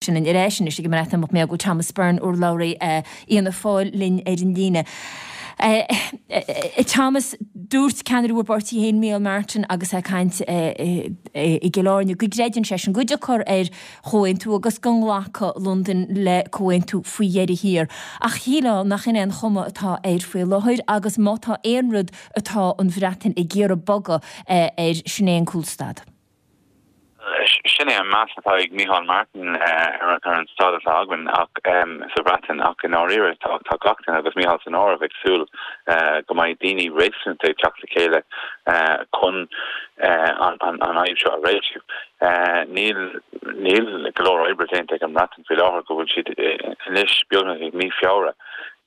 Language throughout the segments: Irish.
Sin ar ais anois ag an mBreatimeacht mé go bhfuil Thomas Byrne, urlabhraí Fhianna Fáil linn ar an líne. Thomas, dúirt ceannaire bhur bpáirtí féin, Micheál Martin, agus é ag caint i gCill Airne, go gcreideann seisean go dtiocfar ar chomhaontú agus go nglacfaidh Londain le comhaontú faoi dheireadh thiar. Ach shílfeá nach in é an chuma atá air faoi láthair agus má tá aon rud atá an Bhreatain ag iarraidh bogadh air, sin é an cúlstad. Sin é an meas atá ag Micheál Martin ar an staid atá againn ach sa Bhreatain ach i ndáiríre tá gach duine, agus Micheál san áireamh, ag súil go mbeidh daoine réasúnta ag teacht le chéile chun an fhadhb seo a réitiú. Níl níl go leor oibre déanta ag an mBreatain faoi láthair go bhfuil siad anois beagnach ag mí Feabhra.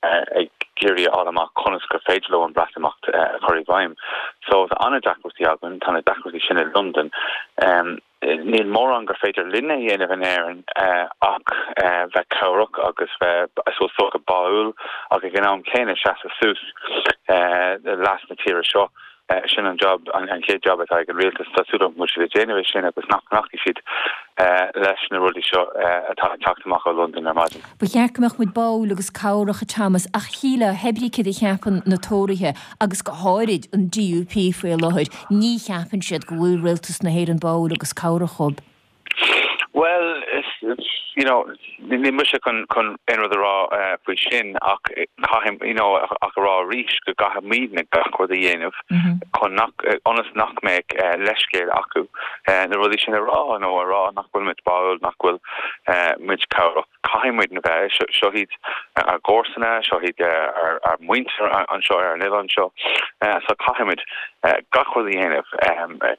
ag iarraidh a fháil amach conas gur féidir leo an Breatimeacht a chur i bhfeidhm. So tá an-deacrachtaí againn, tá na deacrachtaí sin i Londain. Níl mórán gur féidir linne a dhéanamh in Éirinn ach bheith cabhrach agus bheith, I suppose, is dócha báúil ach ag an am céanna seasamh suas le leas na tíre seo. Sin an job, an chéad job atá ag an rialtas. Tá súil agam go bhfuil siad ag déanamh é sin agus nach nglacfaidh siad leis na rudaí seo atá ag teacht amach ó Londain ar maidin. Ba cheart go mbeadh muid báúil agus cabhrach, a Thomas, ach shílfeá, hé brí céard a cheapann na Tóraithe, agus go háirid an DUP faoi láthair, ní cheapann siad go bhfuil rialtas na hÉireann báúil agus cabhrach dhóibh. Bhuel, you know, níl mise chun chun aon rud a rá faoi sin ach caithfidh, you know, ach a rá arís go gcaithfimidne gach rud a dhéanamh chun nach, ionas nach mbeadh leithscéal acu na rudaí sin a rá nó a rá nach bhfuil muid báúil, nach bhfuil muid cabhrach. Caithfidh muidne bheith, seo iad ár gcomharsana, seo iad ár muintir anseo ar an oileán seo, so caithfidh muid gach rud a dhéanamh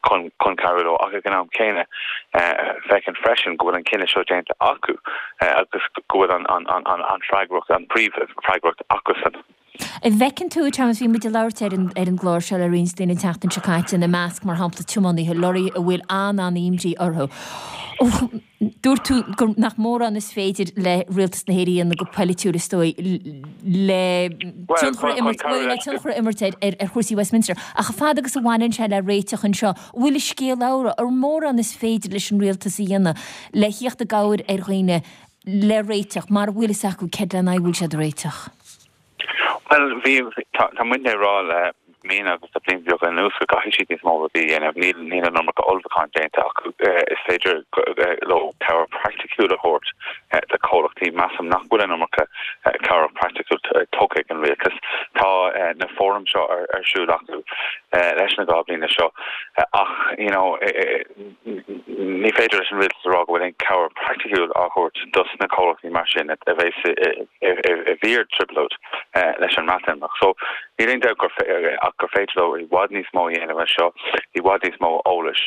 chun chun cabhrú leo ach ag an am céanna féachaint freisin go bhfuil an cinneadh seo déanta acu agus go bhfuil an freagracht, an príomhfhreagracht acusan. An bhfeiceann tú, Thomas, bhí muid ag labhairt ar an ar an gclár seo le roinnt daoine an tseachtain seo caite, ina measc, mar shampla, tiománaithe lorraí a bhfuil an-an-imní orthu. Dúirt tú gur nach mórán is féidir le Rialtas na hÉireann a dhéanamh go poilitiúil, is dóigh, le tionchar a imirt, bhuel, le tionchar a imirt ar ar chúrsaí Westminster. Ach a fad agus a bhaineann sé le réiteach anseo, an bhfuil an scéal amhlaidh, an mórán is féidir leis an Rialtas a dhéanamh le thíocht i gcabhair ar dhaoine le réiteach, mara bhfuil fhios acu céard lena aghaidh a bhfuil siad ag réiteach. Bhuel, bhí, tá, tá muidne ag rá le míonna agus le blianta beaga anuas go gcaithfidh siad níos mó rudaí a dhéanamh. Níl, níl an iomarca ullmhúcháin déanta acu. Is féidir leo cabhair praiticiúil a thabhairt do chomhlachtaí. Measaim nach bhfuil an iomarca cabhrach praiticiúil tugtha ag an rialtas. Tá na fóraim seo ar, ar siúl acu leis na 2 bliana seo ach, you know, Ní féidir leis an rialtas a rá go bhfuil aon chabhair praiticiúil á thabhairt dos na comhlachtaí mar sin a bheas i bhfíor-trioblóid leis an mBreatimeacht. So, níl aon dabht ach gur féidir leo i bhfad níos mó a dhéanamh anseo, i bhfad níos mó eolais.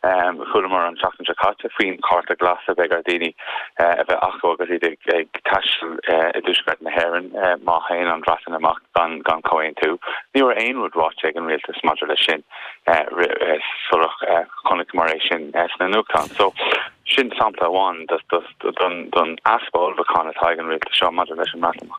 Chualamar an tseachtain seo caite faoin chárta glas a bheidh ar dhaoine a bheith acu agus iad ag taisteal i dtuaisceart na hÉireann má théann an Bhreatain amach gan comhaontú. Ní raibh aon rud ráite ag an rialtas maidir leis sin. sular chonaiceamar é sin sna nuachtáin. So, sin sampla amháin don easpa ullmhúcháin atá ag an rialtas seo maidir leis an mBreatimeacht.